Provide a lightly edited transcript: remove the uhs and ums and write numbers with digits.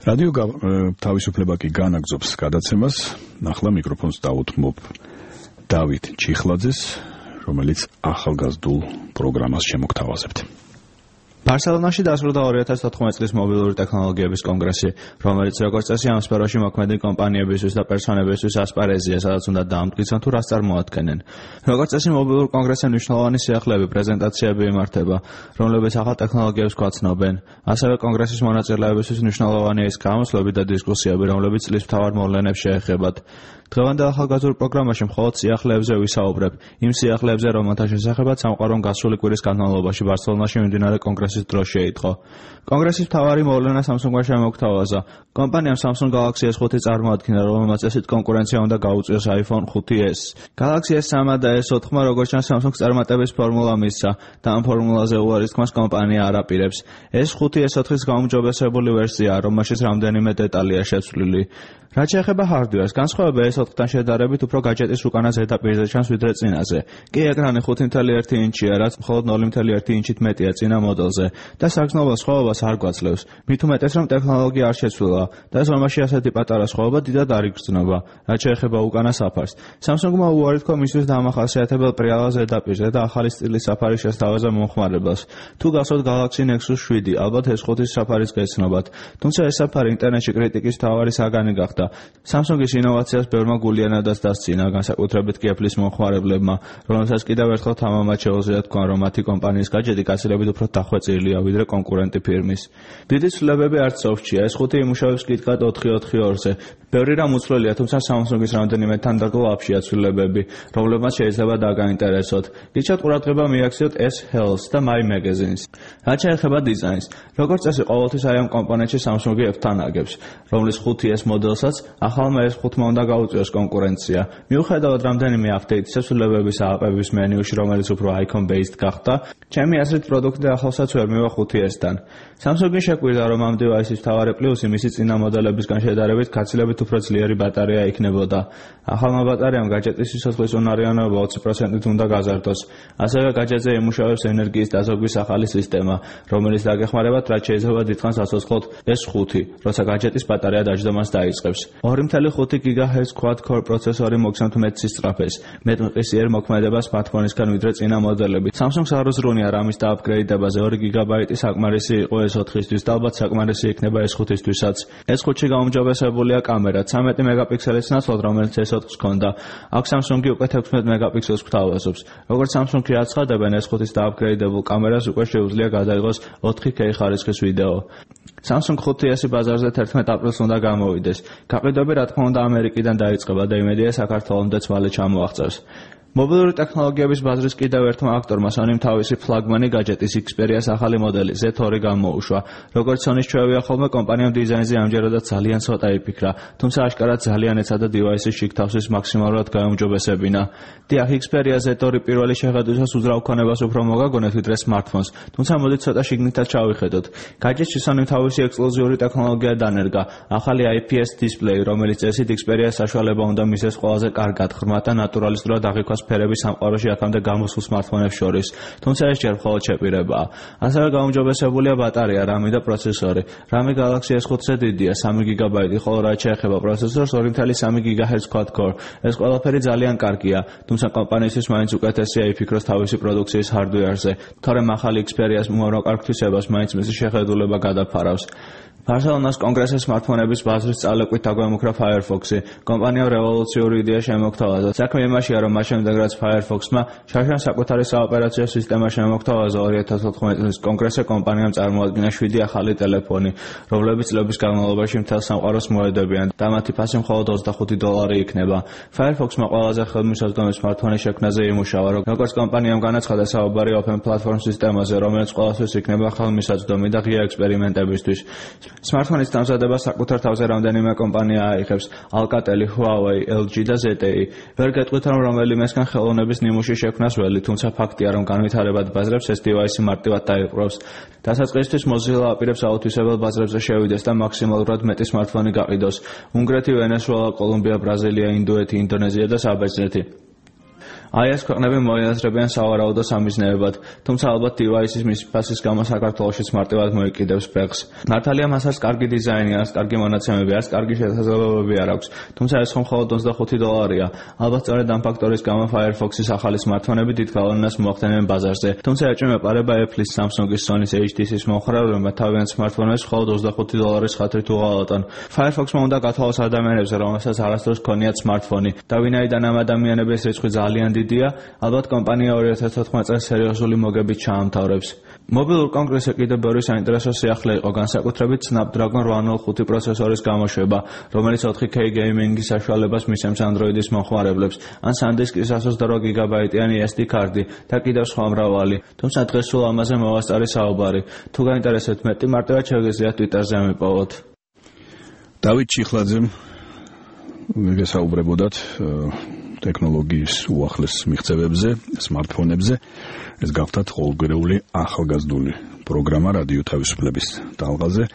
რადიო თავისუფლება კი განაგზობს გადაცემას. ახლა მიკროფონს დავუთმობ დავით ჩიხლაძეს, რომელიც ახალგაზრდულ პროგრამას შემოგთავაზებთ. ბარსელონაში დასრულდა 2014 წლის მობილური ტექნოლოგიების კონგრესი, რომელიც როგორც წესი ამ სფეროში მოქმედი კომპანიებისთვის და პერსონებისთვის ასპარეზია, სადაც უნდა დაამტკიცონ თუ რას წარმოადგენენ. როგორც წესი მობილურ კონგრესზე მნიშვნელოვანი სიახლეები, პრეზენტაციები იმართება, რომლებიც ახალ ტექნოლოგიებს გვაცნობენ. ასევე კონგრესის მონაწილეებისთვის მნიშვნელოვანია ის გამოსვლები და დისკუსიები, რომლებიც წლის მთავარ მოვლენებს შეეხებათ. დღევანდელ ახალგაზრდულ პროგრამაში მხოლოდ სიახლეებზე ვისაუბრებ, იმ სიახლეებზე, რომელთა შესახებაც სამყარომ გასული კვირის განმავლობაში ბარსელონაში მიმდინარე კონგრესის დროს შეიტყო. კონგრესის მთავარი მოვლენა Samsung-მა შემოგთავაზა. კომპანიამ Samsung Galaxy S5 წარმოადგინა, რომელმაც წესით კონკურენცია უნდა გაუწიოს iPhone 5s. Galaxy S3 და S4-მა როგორც ჩანს Samsung-ს წარმატების ფორმულა მისცა და ამ ფორმულაზე უარის თქმას კომპანია არ აპირებს. S5 S4-ის გაუმჯობესებული ვერსიაა, რომელშიც რამდენიმე დეტალია შეცვლილი. რაც შეეხება hardware-ს, განსხვავება S4-თან შედარებით უფრო გაჯეტის უკანა ზედაპირზე ჩანს ვიდრე წინაზე. კი ეკრანი 5.1 ინჩია, რაც მხოლოდ 0.1 ინჩით მეტია წინა მოდელზე და საგრძნობელ სხვაობას არ გვაძლევს. მით უმეტეს რომ ტექნოლოგია არ შეცვლილა და ზომაში ასეთი პატარა სხვაობა დიდად არ იგრძნობა. რაც შეეხება უკანა საფარს, Samsung-მა უარი თქვა მისთვის დამახასიათებელ პრიალა ზედაპირზე და ახალი სტილის საფარის შესთავაზა მომხმარებელს. თუ გახსოვთ Galaxy Nexus 7, ალბათ S5-ის საფარის გეცნობათ. თუმცა ეს საფარი ინტერნეტში კრიტიკის მთავარი საგანი გახდა. Samsung-ის ინოვაციას ბევრმა გულიანადაც დასცინა, განსაკუთრებით კი Apple-ის მომხმარებლებმა, რომელთაც კიდევ ერთხელ თამამად შეუძლიათ თქვა, რომ მათი კომპანიის გაჯეტი გაცილებით უფრო დახვეწილია ვიდრე კონკურენტი ფირმის. დიდი ცვლილებები არც სოფტშია, S5 იმუშავებს კითკად 442-ზე. ბევრი რამ უცვლელია, თუმცა Samsung-ის რამდენიმე თანდარგო აფშია ცვლილებები, რომლებმაც შეიძლება დაგაინტერესოთ. გიჩვენებთ ყურადღება მიაქციოთ S Health და My Magazines. რაც შეეხება დიზაინს, როგორც წესი ყოველთვის აი ამ კომპონენტში Samsung-ი F-თან აგებს, რომლის 5S მოდელსაც ახალმა S5-მა უნდა გაუწიოს კონკურენცია. მიუხედავად რამდენიმე აპდეიტისა ცვლილებების ააპების მენიუში, რომელიც უფრო icon-based გახდა, ჩემი აზრით პროდუქტი ახლოსაც ვერ მივა 5S-თან. Samsung-ი შეკვირდა, რომ ამ დივაისის მთავარი პლუსი მისი წინა მოდელებისგან შედარებით გაცილებით უფრო ძლიერი ბატარეა იქნებოდა. ახალმა ბატარეამ გაჯეტის სიცოცხლის უნარიანობა 20%-ით უნდა გაზარდოს. ასევე გაჯეტზე იმუშავებს ენერგიის დაზოგვის ახალი სისტემა, რომელიც დაგეხმარებათ, რაც შეიძლება დიდხანს აცოცხლოთ S5, როცა გაჯეტის ბატარეა დაждდომას დაიწყებს. 2.5 GHz quad-core პროცესორი მოგცემთ მეტ სისწრაფეს, მეტ მყისიერ მოქმედებას smartphone-ისგან ვიდრე წინა მოდელებით. Samsung-ს არ უზრუნია რამის დააპგრეიდებაზე, 2 GB საკმარისი იყო S4-ისთვის და ალბათ საკმარისი იქნება S5-ისთვისაც. S5-ში გაუმჯობესებულია კამერა, 13 მეგაპიქსელის ნაცვლად, რომელიც S4-ს ჰქონდა. აქ Samsung-ი უკვე 16 მეგაპიქსელს გვთავაზობს. როგორც Samsung-ი აცხადებენ, S5-ის დააპგრეიდებულ კამერას უკვე შეუძლია გადაიღოს 4K ხარისხის ვიდეო. Samsung 5S-ი ბაზარზე 11 აპრილს უნდა გამოვიდეს. გაყიდვები რა თქმა უნდა ამერიკიდან დაიწყება და იმედია საქართველომდეც მალე ჩამოაღწევს. მობილური ტექნოლოგიების ბაზრის კიდევ ერთმა აქტორმა Sony-მ თავისი ფლაგმანი გაჯეტის Xperia-ს ახალი მოდელი Z2 გამოუშვა. როგორც Sony-ს ჩვევია ხოლმე, კომპანიამ დიზაინზე ამჯერადაც ძალიან ცოტა იფიქრა, თუმცა აშკარად ძალიან ეცადა დივაისის შიგთავსის მაქსიმალურად გაუმჯობესებინა. დიახ, Xperia Z2 პირველი შეხედვისას უძრავ ქონებას უფრო მოგაგონეთ ვიდრე smartphones, თუმცა მოდით ცოტა შიგნითაც ჩავიხედოთ. გაჯეტში Sony-მ თავისი ექსკლუზიური ტექნოლოგია დანერგა, ახალი IPS დისპლეი, რომელიც წესით Xperia-ს საშუალება უნდა მისცეს ყველაზე კარგად ღრმა და ნატურალისტურად აღიქვას ფერების სამყაროში აქამდე გამოსულ smartphone-ებს შორის, თუმცა ეს ჯერ მხოლოდ შეპირებაა. ასევე გაუმჯობესებულია ბატარეა, RAM და პროცესორი. RAM Galaxy S5-ზე დიდია, 3 GB, ხოლო რაც შეეხება პროცესორს, 2.3 GHz quad-core. ეს ყველაფერი ძალიან კარგია, თუმცა კომპანიისთვის მაინც უკეთესია იფიქროს თავისი პროდუქციის hardware-ზე, თორემ ახალი Xperia-ს უამრავ კარგ თვისებას მაინც მისი შეხედულება გადაფარავს. ბარსელონას კონგრესის smartphone-ების ბაზრის წალეკვით დაგვემუქრა Firefox-ი. კომპანიამ რევოლუციური იდეა შემოგთავაზა. საქმე იმაშია, რომ მას შემდეგ რაც Firefox-მა შარშან საკუთარი საოპერაციო სისტემა შემოგთავაზა 2014 წლის კონგრესზე, კომპანიამ წარმოადგინა 7 ახალი ტელეფონი, რომლებიც წლების განმავლობაში მთელ სამყაროს მოედებიან და მათი ფასი მხოლოდ $25 იქნება. Firefox-მა ყველაზე ხელმისაწვდომი smartphone-ის შექმნაზე იმუშავა, როგორც კომპანიამ განაცხადა, საუბარი open platform სისტემაზე, რომელიც ყველასთვის იქნება ხელმისაწვდომი და ღია ექსპერიმენტებისთვის. Smartphone-ის დამზადება საკუთარ თავზე რამდენიმე კომპანია აიღებს: Alcatel, Huawei, LG და ZTE. ვერ გეტყვით, რომ რომელიმესგან ხელოვნების ნიმუში შექმნას ველი, თუმცა ფაქტია, რომ განვითარებად ბაზრებს ეს დივაისი მარტივად დაიპყრობს. დასაწყისისთვის Mozilla აპირებს აუთვისებელ ბაზრებზე შევიდეს და მაქსიმალურად მეტი smartphone გაყიდოს. უნგრეთი, ვენესუელა, კოლუმბია, ბრაზილია, ინდოეთი, ინდონეზია და საბერძნეთი. აი ეს ქვეყნები მოიაზრებიან სავარაუდო სამიზნეებად, თუმცა ალბათ device-ის მისფასის გამო საქართველოშიც მარტივად მოიკიდებს ფეხს. მართალია მას არც კარგი დიზაინი, არც კარგი მონაცემები, არც კარგი შესაძლებლობები არ აქვს, თუმცა ეს ხომ მხოლოდ $25. ალბათ სწორედ ამ ფაქტორის გამო Firefox-ის ახალი smartphone-ები დიდ გავლენას მოახდენენ ბაზარზე. თუმცა ეჭვი მეპარება Apple-ის, Samsung-ის, Sony-ის, HTC-ის მომხრეებმა თავიანთ smartphone-ებს მხოლოდ $25 ხათრით უღალატონ. Firefox-მა უნდა გათვალოს ადამიანებს, რომელსაც არასდროს ჰქონიათ smartphone-ი. და ვინაიდან ამ ადამიანების რიცხვი ძალიან დიდია, ალბათ კომპანია 2014 წელს სერიოზული მოგებით ჩაამთავრებს. მობილურ კონგრესზე კიდევ ბევრი საინტერესო სიახლე იყო, განსაკუთრებით Snapdragon 805 პროცესორის გამოშვება, რომელიც 4K gaming-ის საშუალებას მისცემს Android-ის მომხმარებლებს, ან SanDisk-ის 128 GB-იანი SD კარტი და კიდევ სხვა მრავალი. თუმცა დღეს სულ ამაზე მოვასწარი საუბარი. თუ გაინტერესებთ მეტი, მარტივად შეგიძლიათ Twitter-ზე მიპოვოთ. დავით ჩიხლაძემ გესაუბრებოდათ ტექნოლოგიის უახლეს მიღწევებზე, smartphone-ებზე. ეს გახდათ ყოველგვარეული ახალგაზრდული პროგრამა რადიო თავისუფლების ტალღაზე.